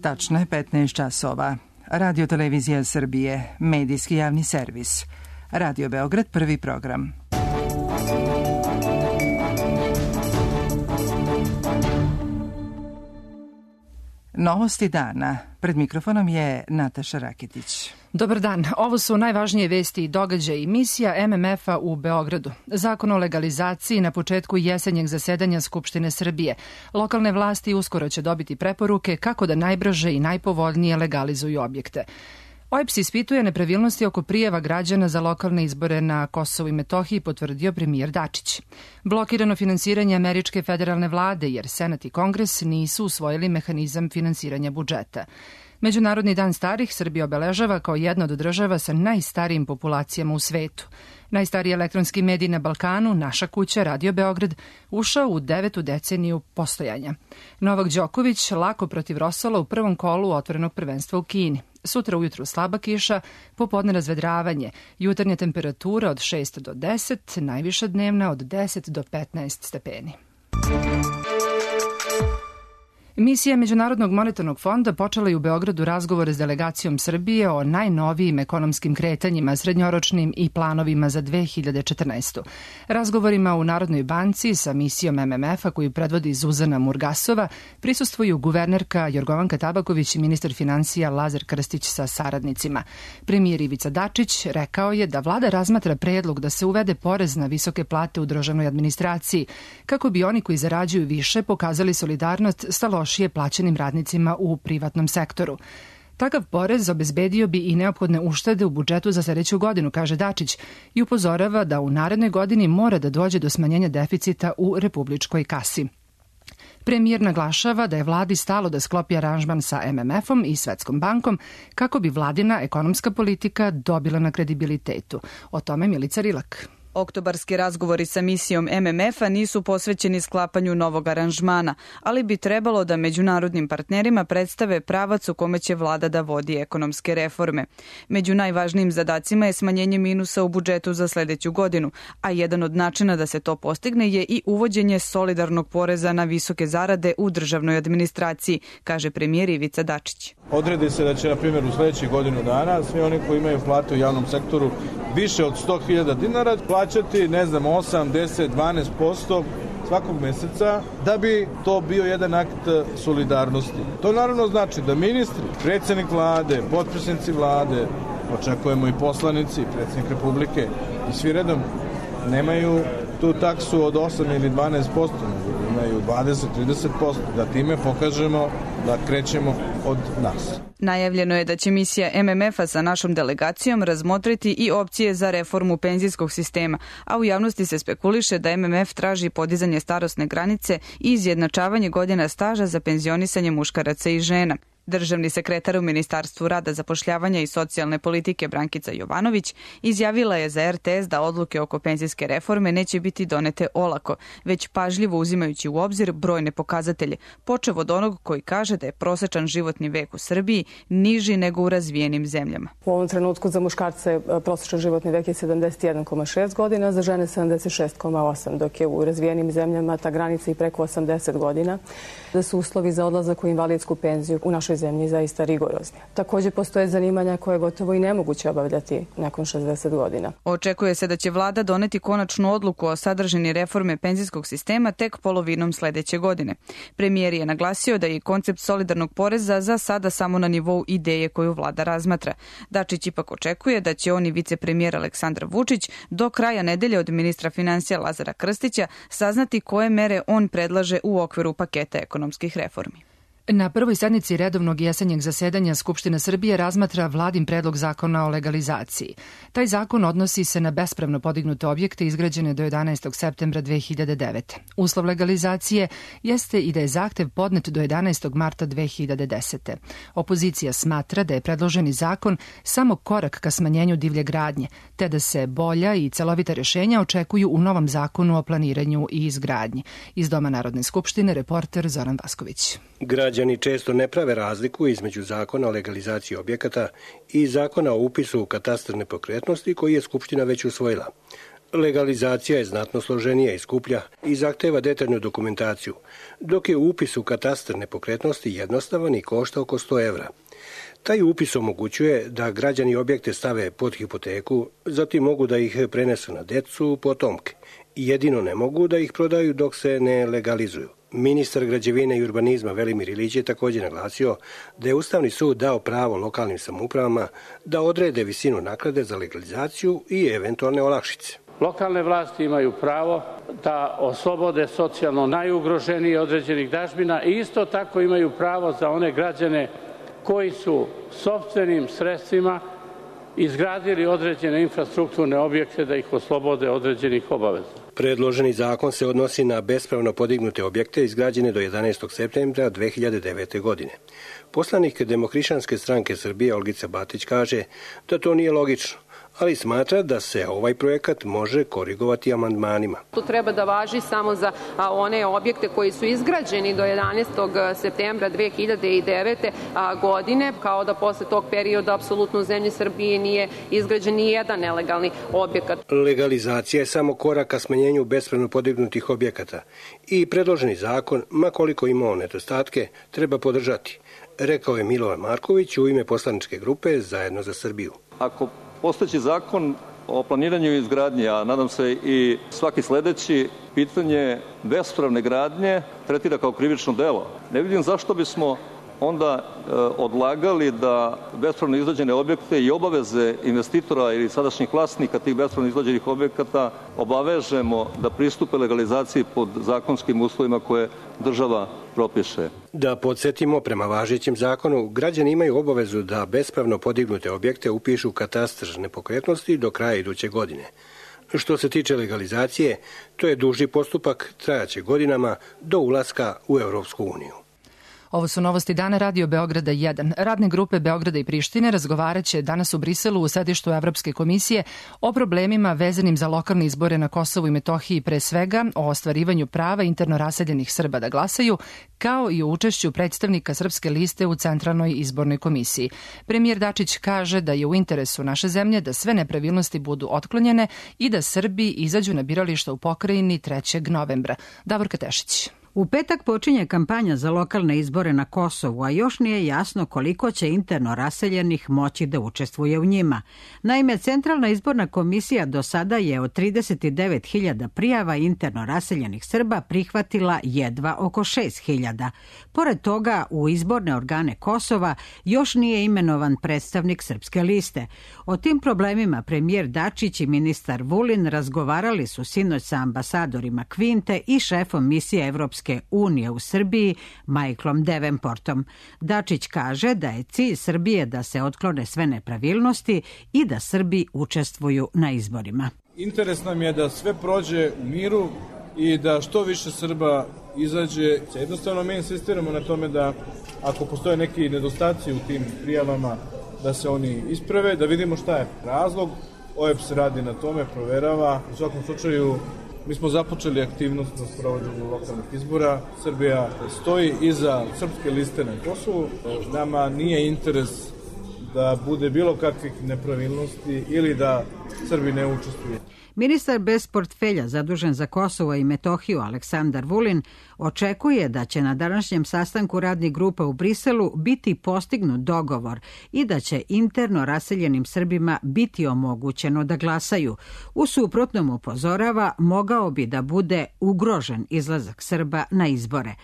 Tačno je 15 časova. Radio Televizija Srbije, medijski javni servis. Radio Beograd, prvi program. Novosti dana. Pred mikrofonom je Nataša Raketić. Dobar dan. Ovo su najvažnije vesti i događaji. Misija MMF-a u Beogradu. Zakon o legalizaciji na početku jesenjeg zasedanja Skupštine Srbije. Lokalne vlasti uskoro će dobiti preporuke kako da najbrže i najpovoljnije legalizuju objekte. OEBS ispituje nepravilnosti oko prijava građana za lokalne izbore na Kosovu i Metohiji, potvrdio premijer Dačić. Blokirano finansiranje američke federalne vlade jer Senat i Kongres nisu usvojili mehanizam finansiranja budžeta. Međunarodni dan starih Srbija obeležava kao jedna od država sa najstarijim populacijama u svetu. Najstariji elektronski medij na Balkanu, Naša kuća, Radio Beograd, ušao u 9. deceniju postojanja. Novak Đoković lako protiv Rosola u prvom kolu otvorenog prvenstva u Kini. Sutra ujutru slaba kiša, popodne razvedravanje, jutarnja temperatura od 6 do 10, najviša dnevna od 10 do 15 stepeni. Misija Međunarodnog monetarnog fonda počela je u Beogradu razgovore s delegacijom Srbije o najnovijim ekonomskim kretanjima, srednjoročnim i planovima za 2014. Razgovorima u Narodnoj banci sa misijom MMF-a koju predvodi Zuzana Murgasova prisustvuju guvernerka Jorgovanka Tabaković i ministar finansija Lazar Krstić sa saradnicima. Premijer Ivica Dačić rekao je da vlada razmatra predlog da se uvede porez na visoke plate u državnoj administraciji, kako bi oni koji zarađuju više pokazali solidarnost sa lošije plaćenim radnicima u privatnom sektoru. Takav porez obezbedio bi i neophodne uštede u budžetu za sledeću godinu, kaže Dačić, i upozorava da u narednoj godini mora da dođe do smanjenja deficita u republičkoj kasi. Premijer naglašava da je vladi stalo da sklopi aranžman sa MMF-om i Svetskom bankom kako bi vladina ekonomska politika dobila na kredibilitetu. O tome Milica Rilak. Oktobarski razgovori sa misijom MMF-a nisu posvećeni sklapanju novog aranžmana, ali bi trebalo da međunarodnim partnerima predstave pravac u kome će vlada da vodi ekonomske reforme. Među najvažnijim zadacima je smanjenje minusa u budžetu za sledeću godinu, a jedan od načina da se to postigne je i uvođenje solidarnog poreza na visoke zarade u državnoj administraciji, kaže premijer Ivica Dačić. Odredi se da će, na primjer, u sledećih godinu dana svi oni koji imaju plate u javnom sektoru više od 100.000 dinara plaćati, 8, 10, 12% svakog meseca, da bi to bio jedan akt solidarnosti. To naravno znači da ministri, predsjednik vlade, potpredsednici vlade, očekujemo i poslanici, predsjednik Republike i svi redom nemaju tu taksu od 8 ili 12%, imaju 20-30%, da time pokažemo da krećemo od nas. Najavljeno je da će misija MMF-a sa našom delegacijom razmotriti i opcije za reformu penzijskog sistema, a u javnosti se spekuliše da MMF traži podizanje starosne granice i izjednačavanje godina staža za penzionisanje muškaraca i žena. Državni sekretar u Ministarstvu rada, zapošljavanja i socijalne politike Brankica Jovanović izjavila je za RTS da odluke oko penzijske reforme neće biti donete olako, već pažljivo uzimajući u obzir brojne pokazatelje, počev od onog koji kaže da je prosečan životni vek u Srbiji niži nego u razvijenim zemljama. U ovom trenutku za muškarce prosečan životni vek je 71,6 godina, za žene 76,8, dok je u razvijenim zemljama ta granica i preko 80 godina, da su uslovi za odlazak u invalidsku penziju u našoj zemlji zaista rigorozni. Također postoje zanimanja koje je gotovo i nemoguće obavljati nakon 60 godina. Očekuje se da će vlada doneti konačnu odluku o sadržini reforme penzijskog sistema tek polovinom sledeće godine. Premijer je naglasio da je koncept solidarnog poreza za sada samo na nivou ideje koju vlada razmatra. Dačić ipak očekuje da će on i vicepremijer Aleksandar Vučić do kraja nedelje od ministra finansija Lazara Krstića saznati koje mere on predlaže u okviru paketa ekonomskih reformi. Na prvoj sednici redovnog jesenjeg zasedanja Skupština Srbije razmatra vladin predlog zakona o legalizaciji. Taj zakon odnosi se na bespravno podignute objekte izgrađene do 11. septembra 2009. Uslov legalizacije jeste i da je zahtev podnet do 11. marta 2010. Opozicija smatra da je predloženi zakon samo korak ka smanjenju divlje gradnje, te da se bolja i celovita rešenja očekuju u novom zakonu o planiranju i izgradnji. Iz Doma Narodne skupštine reporter Zoran Vasković. Građani često ne prave razliku između zakona o legalizaciji objekata i zakona o upisu u katastar nepokretnosti koji je Skupština već usvojila. Legalizacija je znatno složenija i skuplja i zahteva detaljnu dokumentaciju, dok je upis u katastar nepokretnosti jednostavan i košta oko 100 evra. Taj upis omogućuje da građani objekte stave pod hipoteku, zatim mogu da ih prenesu na decu, potomke. Jedino ne mogu da ih prodaju dok se ne legalizuju. Ministar građevine i urbanizma Velimir Ilić je također naglasio da je Ustavni sud dao pravo lokalnim samoupravama da odrede visinu naknade za legalizaciju i eventualne olakšice. Lokalne vlasti imaju pravo da oslobode socijalno najugroženije određenih dažbina i isto tako imaju pravo za one građane koji su sopstvenim sredstvima izgradili određene infrastrukturne objekte da ih oslobode određenih obaveza. Predloženi zakon se odnosi na bespravno podignute objekte izgrađene do 11. septembra 2009. godine. Poslanik Demohrišćanske stranke Srbije Olgica Batić kaže da to nije logično, ali smatra da se ovaj projekat može korigovati amandmanima. To treba da važi samo za one objekte koji su izgrađeni do 11. septembra 2009. godine, kao da posle tog perioda apsolutno u zemlji Srbije nije izgrađen ni jedan nelegalni objekat. Legalizacija je samo korak ka smanjenju bespravno podignutih objekata i predloženi zakon, ma koliko imao nedostatke, treba podržati, rekao je Milovan Marković u ime poslaničke grupe Zajedno za Srbiju. Ako postojeći zakon o planiranju i izgradnji, a nadam se i svaki sledeći, pitanje bespravne gradnje tretira kao krivično delo. Ne vidim zašto bismo onda odlagali da bespravno izgrađene objekte i obaveze investitora ili sadašnjih vlasnika tih bespravno izgrađenih objekata obavežemo da pristupe legalizaciji pod zakonskim uslovima koje država propiše. Da podsjetimo, prema važećem zakonu, građani imaju obavezu da bespravno podignute objekte upišu u katastar nepokretnosti do kraja iduće godine. Što se tiče legalizacije, to je duži postupak, trajaće godinama do ulaska u Evropsku uniju. Ovo su novosti dana Radio Beograda 1. Radne grupe Beograda i Prištine razgovaraće danas u Briselu u sedištu Evropske komisije o problemima vezanim za lokalne izbore na Kosovu i Metohiji, pre svega o ostvarivanju prava interno raseljenih Srba da glasaju, kao i o učešću predstavnika Srpske liste u Centralnoj izbornoj komisiji. Premijer Dačić kaže da je u interesu naše zemlje da sve nepravilnosti budu otklonjene i da Srbi izađu na birališta u pokrajini 3. novembra. Davorka Tešić. U petak počinje kampanja za lokalne izbore na Kosovu, a još nije jasno koliko će interno raseljenih moći da učestvuje u njima. Naime, Centralna izborna komisija do sada je od 39.000 prijava interno raseljenih Srba prihvatila jedva oko 6.000. Pored toga, u izborne organe Kosova još nije imenovan predstavnik Srpske liste. O tim problemima premijer Dačić i ministar Vulin razgovarali su sinoć sa ambasadorima Kvinte i šefom misije Evropske unije u Srbiji, Michaelom Davenportom. Dačić kaže da je cilj Srbije da se otklone sve nepravilnosti i da Srbi učestvuju na izborima. Interes nam je da sve prođe u miru i da što više Srba izađe. Jednostavno mi insistiramo na tome da ako postoje neki nedostaci u tim prijavama, da se oni isprave, da vidimo šta je razlog. OEBS radi na tome, proverava. U svakom slučaju mi smo započeli aktivnost na sprovođenju lokalnih izbora. Srbija stoji iza Srpske liste na Kosovu. Nama nije interes da bude bilo kakvih nepravilnosti ili da Srbi ne učestvuju. Ministar bez portfelja zadužen za Kosovo i Metohiju Aleksandar Vulin očekuje da će na današnjem sastanku radnih grupa u Briselu biti postignut dogovor i da će interno raseljenim Srbima biti omogućeno da glasaju. U suprotnom, upozorava, mogao bi da bude ugrožen izlazak Srba na izbore.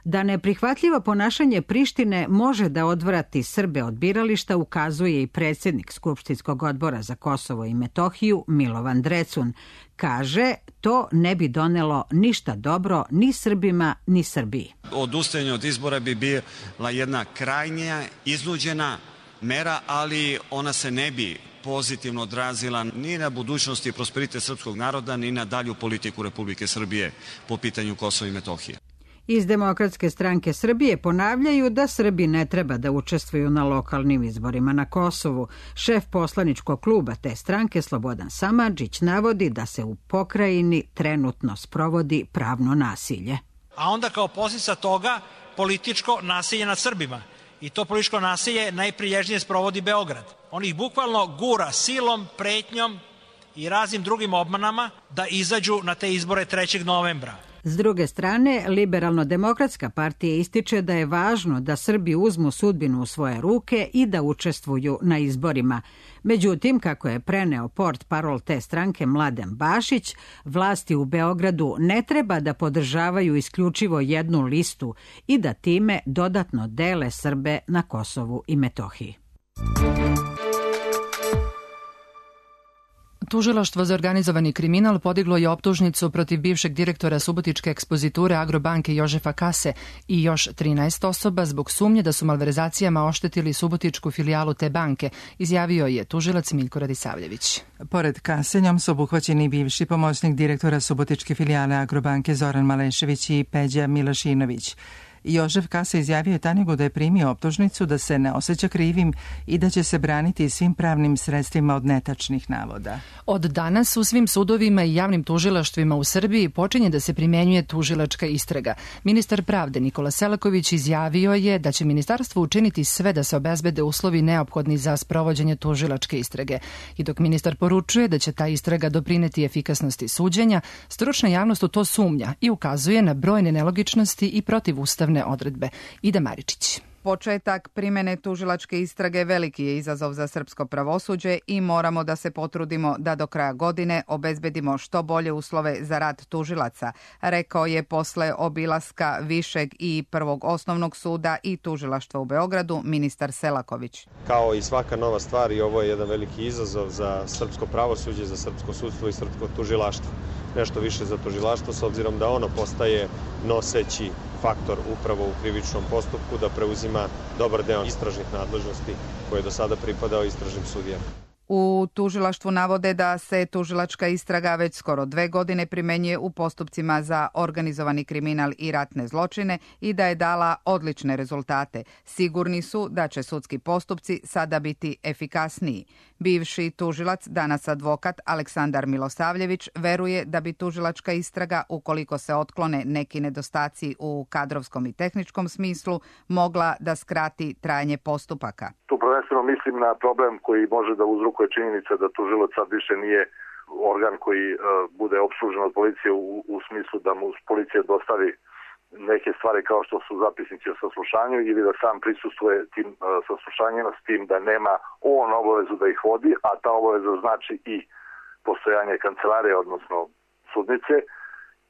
Da neprihvatljivo ponašanje Prištine može da odvrati Srbe od birališta ukazuje i predsjednik Skupštinskog odbora za Kosovo i Metohiju Milovan Drecun. Kaže, to ne bi donelo ništa dobro ni Srbima ni Srbiji. Odustajanje od izbora bi bila jedna krajnja, iznuđena mera, ali ona se ne bi pozitivno odrazila ni na budućnost i prosperitet srpskog naroda, ni na dalju politiku Republike Srbije po pitanju Kosova i Metohije. Iz Demokratske stranke Srbije ponavljaju da Srbi ne treba da učestvuju na lokalnim izborima na Kosovu. Šef poslaničkog kluba te stranke Slobodan Samardžić navodi da se u pokrajini trenutno sprovodi pravno nasilje. A onda kao posljedica toga političko nasilje nad Srbima. I to političko nasilje najprilježnije sprovodi Beograd. On ih bukvalno gura silom, pretnjom i raznim drugim obmanama da izađu na te izbore 3. novembra. S druge strane, Liberalno-demokratska partija ističe da je važno da Srbi uzmu sudbinu u svoje ruke i da učestvuju na izborima. Međutim, kako je preneo portparol te stranke Mladen Bašić, vlasti u Beogradu ne treba da podržavaju isključivo jednu listu i da time dodatno dele Srbe na Kosovu i Metohiji. Tužilaštvo za organizovani kriminal podiglo je optužnicu protiv bivšeg direktora subotičke ekspoziture Agrobanke Jožefa Kase i još 13 osoba zbog sumnje da su malverzacijama oštetili subotičku filijalu te banke, izjavio je tužilac Miljko Radisavljević. Pored Kase, njom su obuhvaćeni bivši pomoćnik direktora subotičke filijale Agrobanke Zoran Malešević i Peđa Milašinović. Jožef Kasa izjavio je Tanjugu da je primio optužnicu, da se ne osjeća krivim i da će se braniti svim pravnim sredstvima od netačnih navoda. Od danas u svim sudovima i javnim tužilaštvima u Srbiji počinje da se primenjuje tužilačka istraga. Ministar pravde Nikola Selaković izjavio je da će ministarstvo učiniti sve da se obezbede uslovi neophodni za sprovođenje tužilačke istrage. I dok ministar poručuje da će ta istraga doprineti efikasnosti suđenja, stručna javnost u to sumnja i ukazuje na brojne nelogičnosti i protivustavne odredbe. Ida Maričić. Početak primene tužilačke istrage veliki je izazov za srpsko pravosuđe i moramo da se potrudimo da do kraja godine obezbedimo što bolje uslove za rad tužilaca, rekao je posle obilaska Višeg i Prvog osnovnog suda i tužilaštva u Beogradu ministar Selaković. Kao i svaka nova stvar, i ovo je jedan veliki izazov za srpsko pravosuđe, za srpsko sudstvo i srpsko tužilaštvo. Nešto više za tužilaštvo s obzirom da ono postaje noseći faktor upravo u krivičnom postupku, da preuzima dobar deo istražnih nadležnosti koje je do sada pripadao istražnim sudijama. U tužilaštvu navode da se tužilačka istraga već skoro 2 godine primenjuje u postupcima za organizovani kriminal i ratne zločine i da je dala odlične rezultate. Sigurni su da će sudski postupci sada biti efikasniji. Bivši tužilac, danas advokat Aleksandar Milosavljević, veruje da bi tužilačka istraga, ukoliko se otklone neki nedostaci u kadrovskom i tehničkom smislu, mogla da skrati trajanje postupaka. Tu prvenstveno mislim na problem koji može da uzrokuje činjenica da tužilac sad više nije organ koji bude opslužen od policije u smislu da mu policija dostavi neke stvari kao što su zapisnici o saslušanju ili da sam prisustvuje tim saslušanjima, s tim da nema on obavezu da ih vodi, a ta obaveza znači i postojanje kancelarije, odnosno sudnice,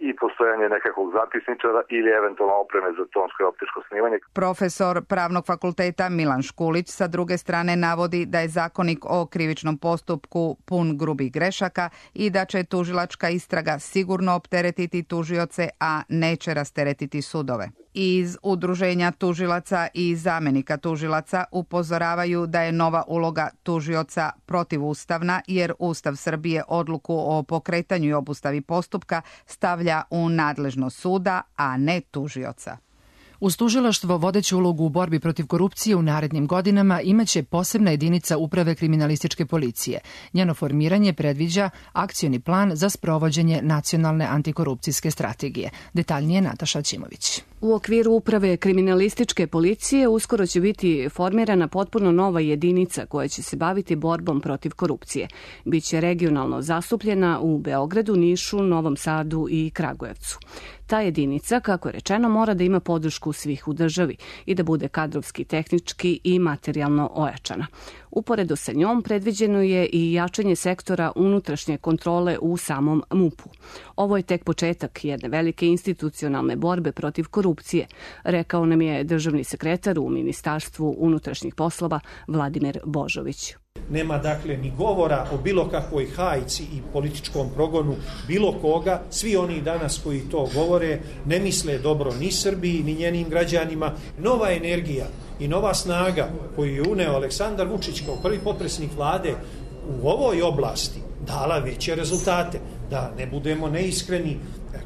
i postojanje nekakvog zapisničara ili eventualno opreme za tonsko i optičko snimanje. Profesor Pravnog fakulteta Milan Škulić sa druge strane navodi da je zakonik o krivičnom postupku pun grubih grešaka i da će tužilačka istraga sigurno opteretiti tužioce, a neće rasteretiti sudove. Iz Udruženja tužilaca i zamenika tužilaca upozoravaju da je nova uloga tužioca protivustavna jer Ustav Srbije odluku o pokretanju i obustavi postupka stavlja u nadležnost suda, a ne tužioca. Uz tužilaštvo vodeću ulogu u borbi protiv korupcije u narednim godinama imaće posebna jedinica Uprave kriminalističke policije. Njeno formiranje predviđa akcioni plan za sprovođenje nacionalne antikorupcijske strategije. Detaljnije Nataša Ćimović. U okviru Uprave kriminalističke policije uskoro će biti formirana potpuno nova jedinica koja će se baviti borbom protiv korupcije. Biće regionalno zastupljena u Beogradu, Nišu, Novom Sadu i Kragujevcu. Ta jedinica, kako je rečeno, mora da ima podršku svih u državi i da bude kadrovski, tehnički i materijalno ojačana. Uporedo sa njom predviđeno je i jačanje sektora unutrašnje kontrole u samom MUP-u. Ovo je tek početak jedne velike institucionalne borbe protiv korupcije, rekao nam je državni sekretar u Ministarstvu unutrašnjih poslova Vladimir Božović. Nema dakle ni govora o bilo kakvoj hajci i političkom progonu bilo koga. Svi oni danas koji to govore ne misle dobro ni Srbiji ni njenim građanima. Nova energija i nova snaga koju je uneo Aleksandar Vučić kao prvi potpredsjednik vlade u ovoj oblasti dala veće rezultate. Da ne budemo neiskreni,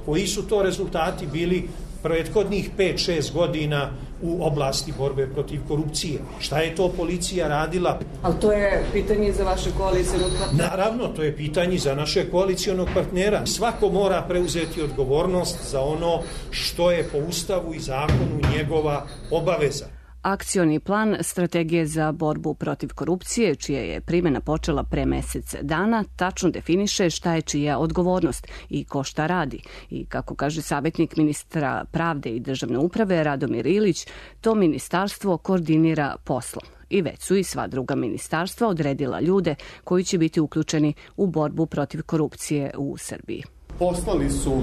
koji su to rezultati bili prethodnih 5-6 godina u oblasti borbe protiv korupcije. Šta je to policija radila? Ali to je pitanje za vaše koalicijonog partnera? Naravno, to je pitanje za naše koalicijonog partnera. Svako mora preuzeti odgovornost za ono što je po Ustavu i zakonu njegova obaveza. Akcioni plan strategije za borbu protiv korupcije, čija je primjena počela pre mesec dana, tačno definiše šta je čija odgovornost i ko šta radi. I kako kaže savjetnik ministra pravde i državne uprave Radomir Ilić, to ministarstvo koordinira poslom. I već su i sva druga ministarstva odredila ljude koji će biti uključeni u borbu protiv korupcije u Srbiji. Poslali su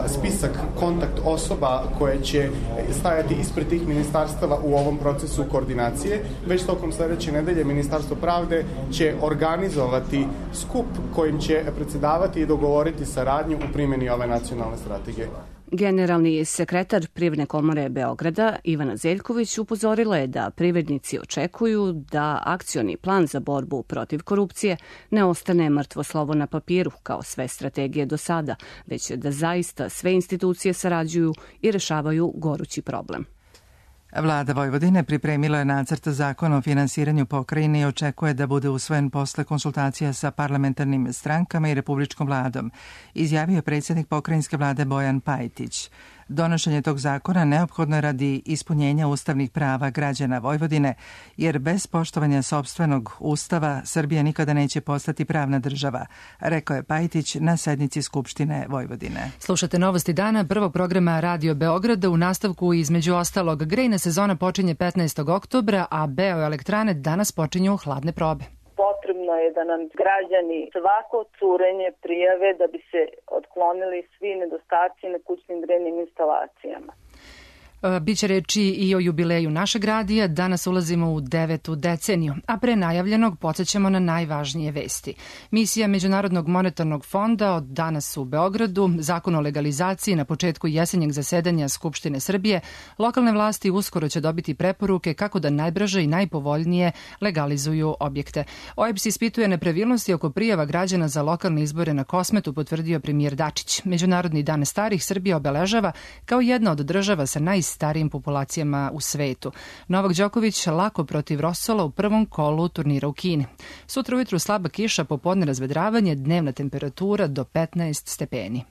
spisak kontakt osoba koje će stajati ispred tih ministarstava u ovom procesu koordinacije. Već tokom sledeće nedelje Ministarstvo pravde će organizovati skup kojim će predsjedavati i dogovoriti saradnju u primjeni ove nacionalne strategije. Generalni sekretar Privredne komore Beograda Ivana Zeljković upozorila je da privrednici očekuju da akcioni plan za borbu protiv korupcije ne ostane mrtvo slovo na papiru kao sve strategije do sada, već da zaista sve institucije sarađuju i rešavaju gorući problem. Vlada Vojvodine pripremila je nacrt zakona o finansiranju pokrajine i očekuje da bude usvojen posle konsultacija sa parlamentarnim strankama i republičkom vladom, izjavio je predsjednik pokrajinske vlade Bojan Pajtić. Donošenje tog zakona neophodno je radi ispunjenja ustavnih prava građana Vojvodine, jer bez poštovanja sopstvenog ustava Srbija nikada neće postati pravna država, rekao je Pajtić na sednici Skupštine Vojvodine. Slušate novosti dana prvog programa Radio Beograda. U nastavku između ostalog grejna sezona počinje 15. oktobra, a bioelektrane danas počinju hladne probe. Potrebno je da nam građani svako curenje prijave da bi se otklonili svi nedostaci na kućnim grejnim instalacijama. Biće reči i o jubileju našeg radija. Danas ulazimo u 9. deceniju, a pre najavljenog podsjećamo na najvažnije vesti. Misija Međunarodnog monetarnog fonda od danas u Beogradu, zakon o legalizaciji na početku jesenjeg zasedanja Skupštine Srbije, lokalne vlasti uskoro će dobiti preporuke kako da najbrže i najpovoljnije legalizuju objekte. OEBS ispituje nepravilnosti oko prijava građana za lokalne izbore na Kosmetu, potvrdio premijer Dačić. Međunarodni dan starih Srbija obeležava kao jedna od država sa starijim populacijama u svetu. Novak Đoković lako protiv Rosola u prvom kolu turnira u Kini. Sutra ujutru slaba kiša, popodne razvedravanje, dnevna temperatura do 15 stepeni.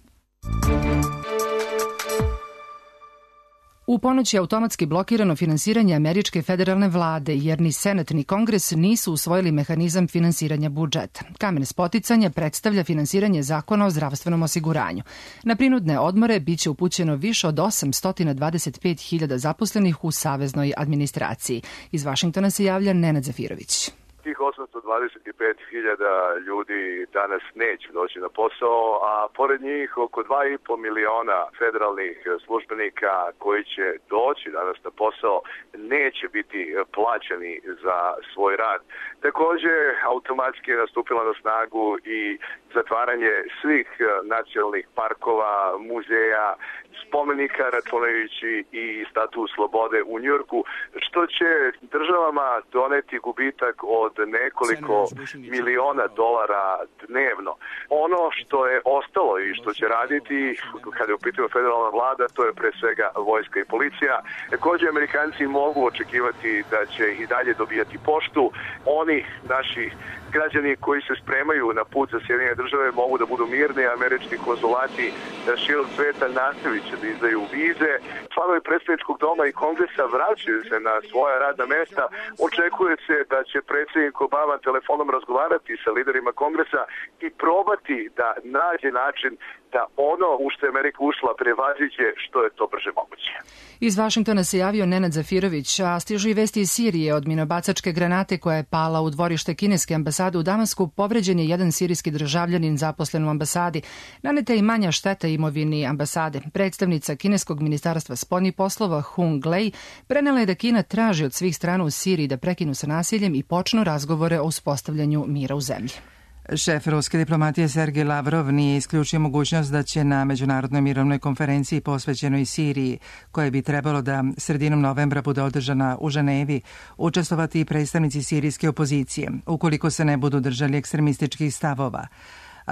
U ponoć je automatski blokirano finansiranje američke federalne vlade, jer ni Senat ni Kongres nisu usvojili mehanizam finansiranja budžeta. Kamen spoticanja predstavlja finansiranje zakona o zdravstvenom osiguranju. Na prinudne odmore biće upućeno više od 825.000 zaposlenih u saveznoj administraciji. Iz Vašingtona se javlja Nenad Zafirović. Tih 825.000 ljudi danas neće doći na posao, a pored njih oko 2,5 miliona federalnih službenika koji će doći danas na posao neće biti plaćeni za svoj rad. Također, automatski je nastupila na snagu i zatvaranje svih nacionalnih parkova, muzeja, spomenika, računajući i Statu slobode u Njujorku, što će državama doneti gubitak od nekoliko miliona dolara dnevno. Ono što je ostalo i što će raditi, kada je u pitanju federalna vlada, to je pre svega vojska i policija. Također, Amerikanci mogu očekivati da će i dalje dobijati poštu. Oni, naši građani koji se spremaju na put za Sjedinjene države, mogu da budu mirni. Američki konzulati širom sveta nastavit će da izdaju vize. Članovi predstavničkog doma i kongresa vraćaju se na svoja radna mesta. Očekuje se da će predsjednik Obama telefonom razgovarati sa liderima kongresa i probati da nađe način da ono u što je Amerika ušla prevaziđe što je to brže moguće. Iz Vašingtona se javio Nenad Zafirović, a stižu i vesti iz Sirije od minobacačke granate koja je pala u dvorište kineske ambasade u Damasku. Povređen je jedan sirijski državljanin zaposlen u ambasadi. Naneta je i manja šteta imovini ambasade. Predstavnica kineskog ministarstva spoljnih poslova Hung Lei prenela je da Kina traži od svih strana u Siriji da prekinu sa nasiljem i počnu razgovore o uspostavljanju mira u zemlji. Šef ruske diplomatije Sergej Lavrov nije isključio mogućnost da će na međunarodnoj mirovnoj konferenciji posvećenoj Siriji, koje bi trebalo da sredinom novembra bude održana u Ženevi, učestvovati i predstavnici sirijske opozicije, ukoliko se ne budu držali ekstremističkih stavova.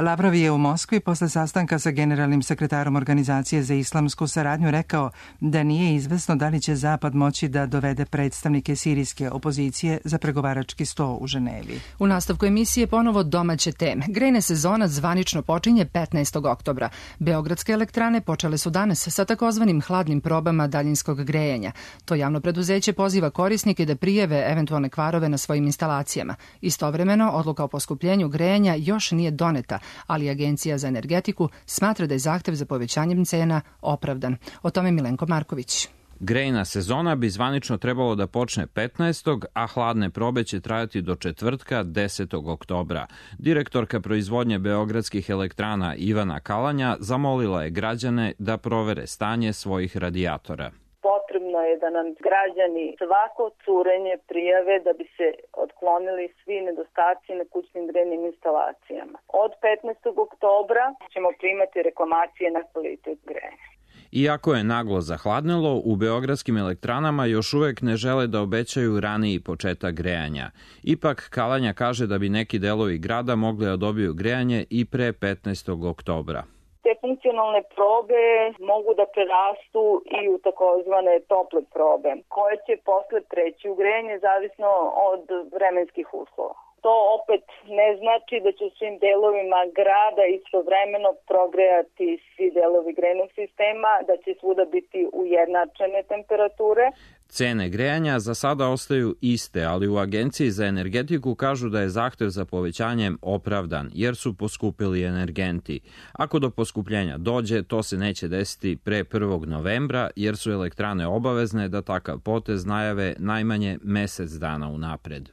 Lavrov je u Moskvi posle sastanka sa generalnim sekretarom Organizacije za islamsku saradnju rekao da nije izvesno da li će Zapad moći da dovede predstavnike sirijske opozicije za pregovarački sto u Ženevi. U nastavku emisije ponovo domaće teme. Grejna sezona zvanično počinje 15. oktobra. Beogradske elektrane počele su danas sa takozvanim hladnim probama daljinskog grejanja. To javno preduzeće poziva korisnike da prijave eventualne kvarove na svojim instalacijama. Istovremeno, odluka o poskupljenju grejanja još nije doneta, ali Agencija za energetiku smatra da je zahtev za povećanjem cena opravdan. O tome Milenko Marković. Grejna sezona bi zvanično trebalo da počne 15. a hladne probe će trajati do četvrtka 10. oktobra. Direktorka proizvodnje beogradskih elektrana Ivana Kalanja zamolila je građane da provere stanje svojih radijatora. Potrebno je da nam građani svako curenje prijave da bi se otklonili svi nedostaci na kućnim grejnim instalacijama. Od 15. oktobra ćemo primati reklamacije na kvalitet grejanja. Iako je naglo zahladnelo, u beogradskim elektranama još uvek ne žele da obećaju raniji početak grejanja. Ipak, Kalanja kaže da bi neki delovi grada mogli da dobiju grejanje i pre 15. oktobra. Te funkcionalne probe mogu da prerastu i u takozvane tople probe, koje će posle preći u grejanje zavisno od vremenskih uslova. To opet ne znači da će u svim delovima grada istovremeno progrejati svi delovi grejnog sistema, da će svuda biti ujednačene temperature. Cene grejanja za sada ostaju iste, ali u Agenciji za energetiku kažu da je zahtev za povećanjem opravdan, jer su poskupili energenti. Ako do poskupljenja dođe, to se neće desiti pre 1. novembra, jer su elektrane obavezne da takav potez najave najmanje mesec dana unapred.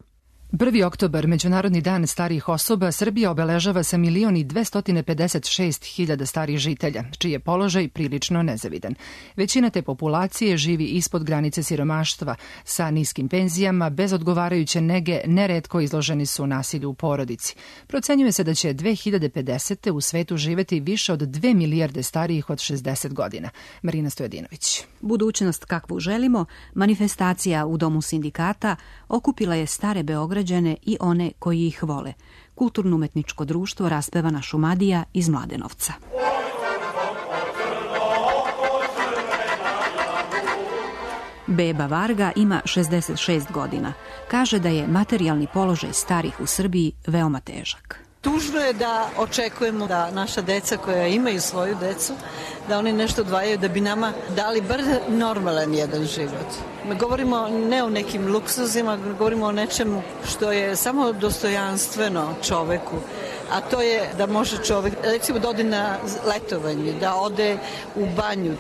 1. oktobar, Međunarodni dan starijih osoba, Srbija obeležava sa 1.256.000 starih žitelja, čiji je položaj prilično nezavidan. Većina te populacije živi ispod granice siromaštva, sa niskim penzijama, bez odgovarajuće nege, neretko izloženi su nasilju u porodici. Procenjuje se da će 2050. u svetu živeti više od 2 milijarde starijih od 60 godina. Marina Stojadinović. Budućnost kakvu želimo, manifestacija u Domu sindikata okupila je stare Beograđane i one koji ih vole. Kulturno-umetničko društvo Raspevana Šumadija iz Mladenovca. Beba Varga ima 66 godina. Kaže da je materijalni položaj starih u Srbiji veoma težak. Tužno je da očekujemo da naša deca koja imaju svoju decu, da oni nešto odvajaju da bi nama dali bar normalan jedan život. Govorimo ne o nekim luksuzima, govorimo o nečemu što je samo dostojanstveno čoveku, a to je da može čovek, recimo, da ode na letovanje, da ode u banju.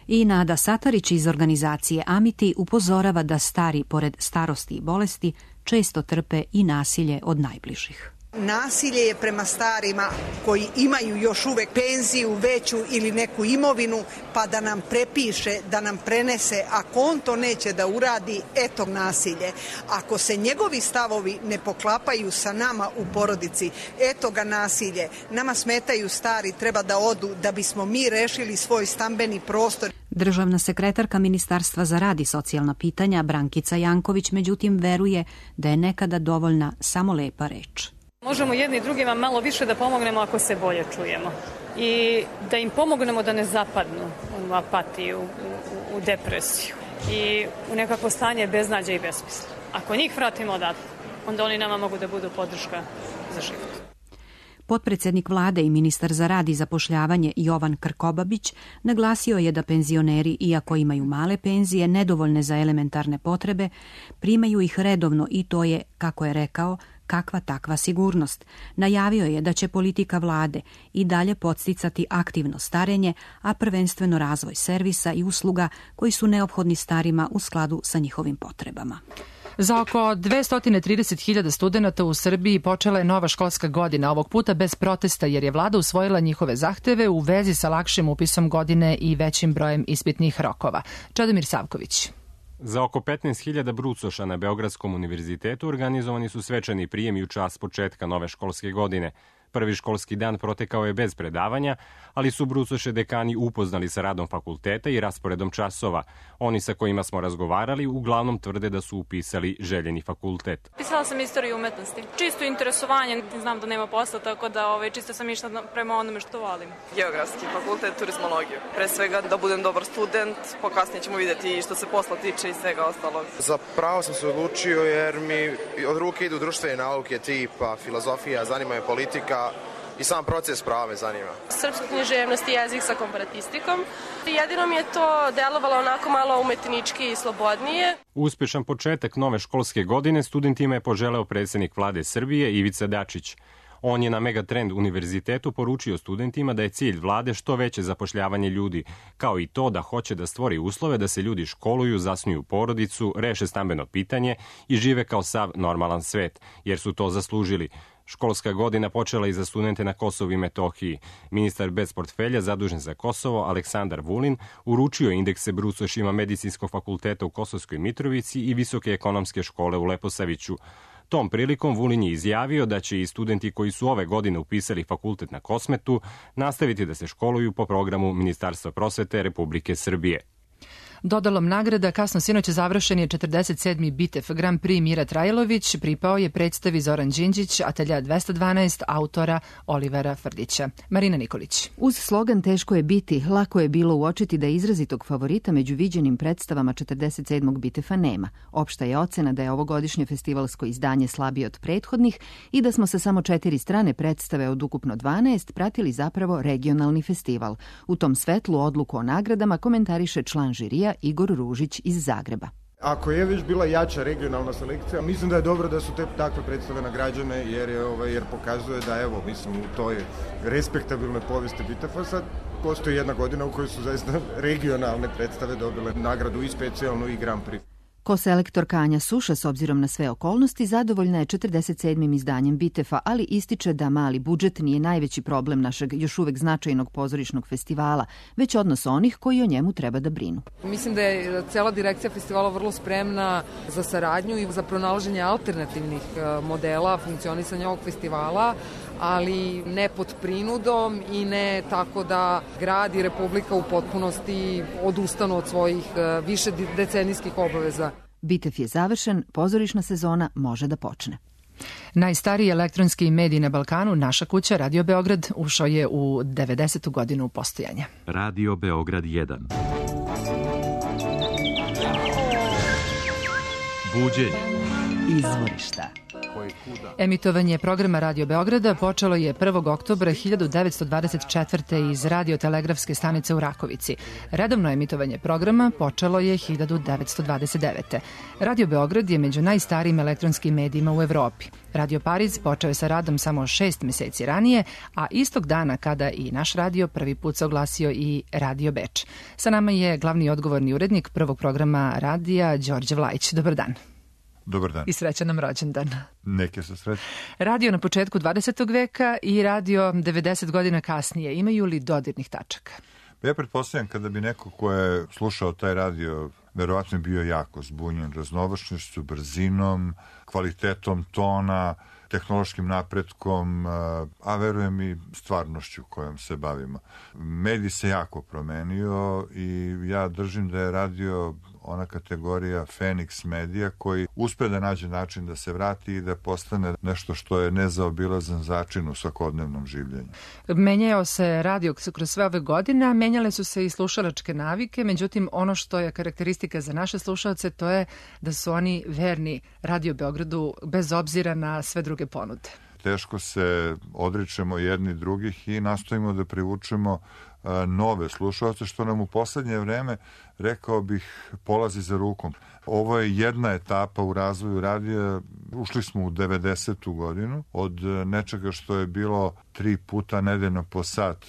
I Nada Satarić iz organizacije Amiti upozorava da stari, pored starosti i bolesti, često trpe i nasilje od najbližih. Nasilje je prema starima koji imaju još uvek penziju veću ili neku imovinu, pa da nam prepiše, da nam prenese. Ako on to neće da uradi, eto nasilje. Ako se njegovi stavovi ne poklapaju sa nama u porodici, eto ga nasilje. Nama smetaju stari, treba da odu da bismo mi rešili svoj stambeni prostor. Državna sekretarka Ministarstva za rad i socijalna pitanja Brankica Janković međutim veruje da je nekada dovoljna samo lepa reč. Možemo jedni drugima malo više da pomognemo ako se bolje čujemo i da im pomognemo da ne zapadnu u apatiju, u depresiju i u nekako stanje beznađa i besmisla. Ako njih vratimo odatle, onda oni nama mogu da budu podrška za život. Potpredsednik vlade i ministar za rad i zapošljavanje Jovan Krkobabić naglasio je da penzioneri, iako imaju male penzije, nedovoljne za elementarne potrebe, primaju ih redovno i to je, kako je rekao, kakva takva sigurnost. Najavio je da će politika vlade i dalje podsticati aktivno starenje, a prvenstveno razvoj servisa i usluga koji su neophodni starima u skladu sa njihovim potrebama. Za oko 230.000 studenta u Srbiji počela je nova školska godina, ovog puta bez protesta jer je vlada usvojila njihove zahteve u vezi sa lakšim upisom godine i većim brojem ispitnih rokova. Čedomir Savković. Za oko 15.000 brucoša na Beogradskom univerzitetu organizovani su svečani prijem i u čast početka nove školske godine. Prvi školski dan protekao je bez predavanja, ali su brucoše dekani upoznali sa radom fakulteta i rasporedom časova. Oni sa kojima smo razgovarali uglavnom tvrde da su upisali željeni fakultet. Pisala sam istoriju umetnosti. Čisto interesovanje, znam da nema posla, tako da čisto sam išla prema onome što volim. Geografski fakultet, turizmologiju. Pre svega da budem dobar student, pa kasnije ćemo vidjeti što se posla tiče i svega ostalog. Za pravo sam se odlučio jer mi od ruke idu društvene nauke tipa filozofija, zanima me politika i sam proces prava me zanima. Srpska književnost i jezik sa komparatistikom. Jedino mi je to delovalo onako malo umetnički i slobodnije. Uspešan početak nove školske godine studentima je poželeo predsjednik vlade Srbije Ivica Dačić. On je na Megatrend univerzitetu poručio studentima da je cilj vlade što veće zapošljavanje ljudi, kao i to da hoće da stvori uslove da se ljudi školuju, zasnuju porodicu, reše stambeno pitanje i žive kao sav normalan svet, jer su to zaslužili. Školska godina počela i za studente na Kosovu i Metohiji. Ministar bez portfelja zadužen za Kosovo, Aleksandar Vulin, uručio indekse brucošima Medicinskog fakulteta u Kosovskoj Mitrovici i Visoke ekonomske škole u Leposaviću. Tom prilikom Vulin je izjavio da će i studenti koji su ove godine upisali fakultet na Kosmetu nastaviti da se školuju po programu Ministarstva prosvete Republike Srbije. Dodalom nagrada kasno sinoć završen je 47. Bitev Grand Prix Mira Trajlović, pripao je predstavi Zoran Đinđić, Atelja 212, autora Olivera Frdića. Marina Nikolić. Uz slogan Teško je biti, lako je bilo uočiti da izrazitog favorita među viđenim predstavama 47. Bitefa nema. Opšta je ocena da je ovogodišnje festivalsko izdanje slabije od prethodnih i da smo sa samo 4 strane predstave od ukupno 12 pratili zapravo regionalni festival. U tom svetlu odluku o nagradama komentariše član žirija Igor Ružić iz Zagreba. Ako je već bila jača regionalna selekcija, mislim da je dobro da su te takve predstave nagrađene jer pokazuje da u toj respektabilnoj povijesti Bitefa sad postoji jedna godina u kojoj su zaista regionalne predstave dobile nagradu i specijalnu i Grand Prix. Koselektorka Anja Suša, s obzirom na sve okolnosti, zadovoljna je 47. izdanjem Bitefa, ali ističe da mali budžet nije najveći problem našeg još uvek značajnog pozorišnog festivala, već odnos onih koji o njemu treba da brinu. Mislim da je cela direkcija festivala vrlo spremna za saradnju i za pronalaženje alternativnih modela funkcionisanja ovog festivala, ali ne pod prinudom i ne tako da grad i Republika u potpunosti odustanu od svojih više decenijskih obaveza. Bitev je završen, pozorišna sezona može da počne. Najstariji elektronski medij na Balkanu, Naša kuća, Radio Beograd, ušao je u 90. godinu postojanja. Radio Beograd 1. Buđenje. Izvorišta. Emitovanje programa Radio Beograda počelo je 1. oktobra 1924. iz radiotelegrafske stanice u Rakovici. Redovno emitovanje programa počelo je 1929. Radio Beograd je među najstarijim elektronskim medijima u Evropi. Radio Pariz počeo je sa radom samo 6 meseci ranije, a istog dana kada i naš radio prvi put se oglasio i Radio Beč. Sa nama je glavni odgovorni urednik prvog programa radija Đorđe Vlajić. Dobar dan. Dobar dan. I srećan nam rođendan. Neke su sreće. Radio na početku 20. veka i radio 90 godina kasnije. Imaju li dodirnih tačaka? Ja pretpostavljam kada bi neko ko je slušao taj radio, verovatno je bio jako zbunjen raznovrsnošću, brzinom, kvalitetom tona, tehnološkim napretkom, a verujem i stvarnošću kojom se bavimo. Medij se jako promenio i ja držim da je radio ona kategorija Feniks medija koji uspe da nađe način da se vrati i da postane nešto što je nezaobilazan začin u svakodnevnom življenju. Menjao se radio kroz sve ove godine, a menjale su se i slušalačke navike, međutim ono što je karakteristika za naše slušalce to je da su oni verni Radio Beogradu bez obzira na sve druge ponude. Teško se odričemo jedni drugih i nastojimo da privučemo nove slušalce, što nam u poslednje vreme, rekao bih, polazi za rukom. Ovo je jedna etapa u razvoju radija. Ušli smo u 90. godinu od nečega što je bilo 3 puta nedeljno po sat,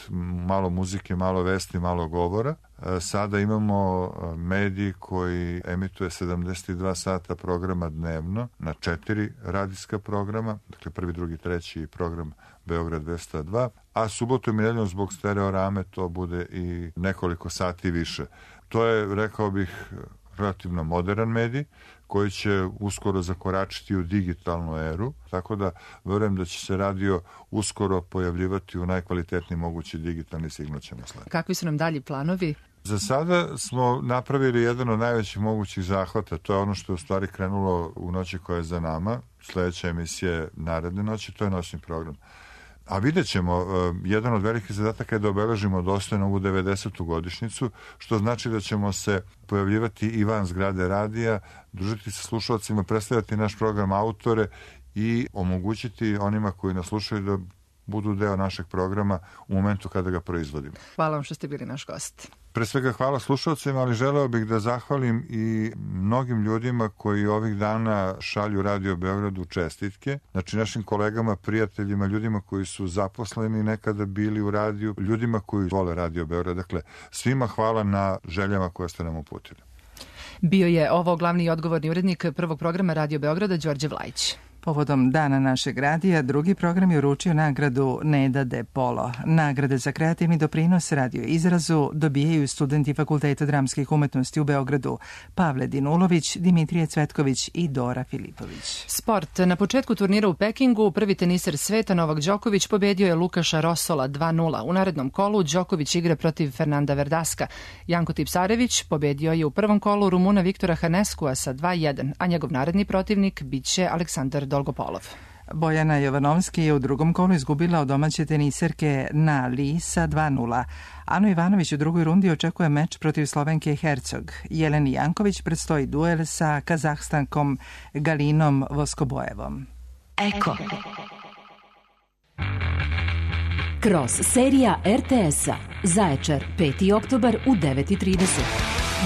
malo muzike, malo vesti, malo govora. Sada imamo medij koji emituje 72 sata programa dnevno na 4 radijska programa, dakle 1., 2., 3. program Beograd 202, a subotom i nedeljom zbog stereorame to bude i nekoliko sati više. To je, rekao bih, relativno modern medij koji će uskoro zakoračiti u digitalnu eru, tako da verujem da će se radio uskoro pojavljivati u najkvalitetniji mogući digitalni signal ćemo slediti. Kakvi su nam dalji planovi? Za sada smo napravili jedan od najvećih mogućih zahvata, to je ono što je u stvari krenulo u noći koja je za nama, sledeća emisija je naredne noći, to je noćni program. A vidjet ćemo, jedan od velikih zadataka je da obeležimo dostojno ovu 90. godišnjicu, što znači da ćemo se pojavljivati i van zgrade radija, družiti sa slušalcima, predstavljati naš program autore i omogućiti onima koji nas slušaju da budu deo našeg programa u momentu kada ga proizvodimo. Hvala vam što ste bili naš gost. Pre svega hvala slušalcima, ali želeo bih da zahvalim i mnogim ljudima koji ovih dana šalju Radio Beogradu čestitke. Znači našim kolegama, prijateljima, ljudima koji su zaposleni nekada bili u radiju, ljudima koji vole Radio Beograd. Dakle, svima hvala na željama koje ste nam uputili. Bio je ovo glavni i odgovorni urednik prvog programa Radio Beograda, Đorđe Vlajić. Povodom Dana našeg radija, drugi program je uručio nagradu Neda de Polo. Nagrade za kreativni doprinos radio izrazu dobijaju studenti Fakulteta dramskih umetnosti u Beogradu Pavle Dinulović, Dimitrije Cvetković i Dora Filipović. Sport. Na početku turnira u Pekingu prvi teniser sveta Novak Đoković pobedio je Lukaša Rosola 2:0. U narednom kolu Đoković igra protiv Fernanda Verdaska. Janko Tipsarević pobedio je u prvom kolu Rumuna Viktora Haneskua sa 2:1, a njegov naredni protivnik biće Aleksandar Dolgopolov. Bojana Jovanovski je u drugom kolu izgubila od domaće teniserke Na Li sa 2:0. Anu Ivanović u drugoj rundi očekuje meč protiv Slovenke Hercog. Jeleni Janković predstoji duel sa Kazahstankom Galinom Voskobojevom. Eko. Kroz serija RTS-a Zaječar 5. oktobar u 9:30.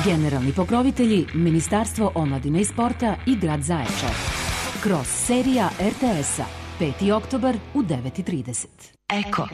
Generalni pokrovitelji Ministarstvo omladine i sporta i grad Zaječar. Kroz serija RTS-a 5. oktobar u 9:30. Eko.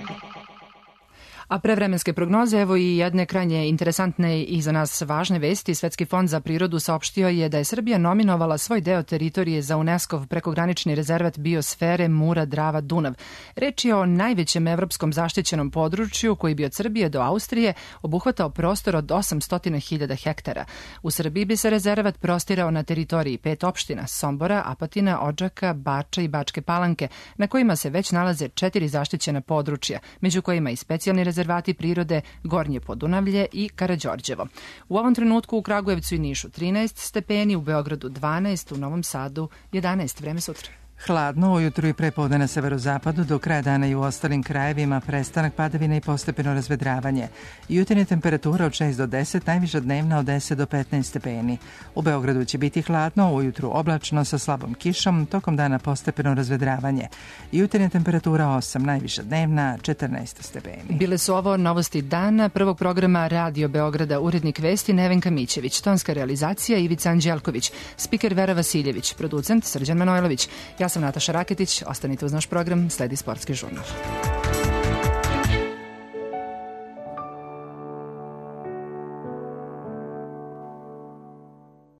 A pre vremenske prognoze, evo i jedne krajnje interesantne i za nas važne vesti. Svetski fond za prirodu saopštio je da je Srbija nominovala svoj deo teritorije za UNESCO-v prekogranični rezervat biosfere Mura-Drava-Dunav. Reč je o najvećem evropskom zaštićenom području koji bi od Srbije do Austrije obuhvatao prostor od 800.000 hektara. U Srbiji bi se rezervat prostirao na teritoriji 5 opština: Sombora, Apatina, Odžaka, Bača i Bačke Palanke, na kojima se već nalaze 4 zaštićena područja, među kojima i specijalni rezervati prirode Gornje Podunavlje i Karađorđevo. U ovom trenutku u Kragujevcu i Nišu 13 stepeni, u Beogradu 12, u Novom Sadu 11. Vreme sutra. Hladno ujutru i prepodne na severozapadu, do kraja dana i u ostalim krajevima prestanak padavina i postepeno razvedravanje. Jutarnja temperatura od 6 do 10, najviša dnevna od 10 do 15 stepeni. U Beogradu će biti hladno, ujutru oblačno sa slabom kišom, tokom dana postepeno razvedravanje. Jutarnja temperatura 8, najviša dnevna 14 stepeni. Bile su ovo novosti dana prvog programa Radio Beograda, urednik vesti Nevenka Mićević, tonska realizacija Ivica Anđelković, spiker Vera Vasiljević, producent Srđan Manojlović. Ja sam Nataša Raketić, ostanite uz naš program, sledi Sportski žurnal.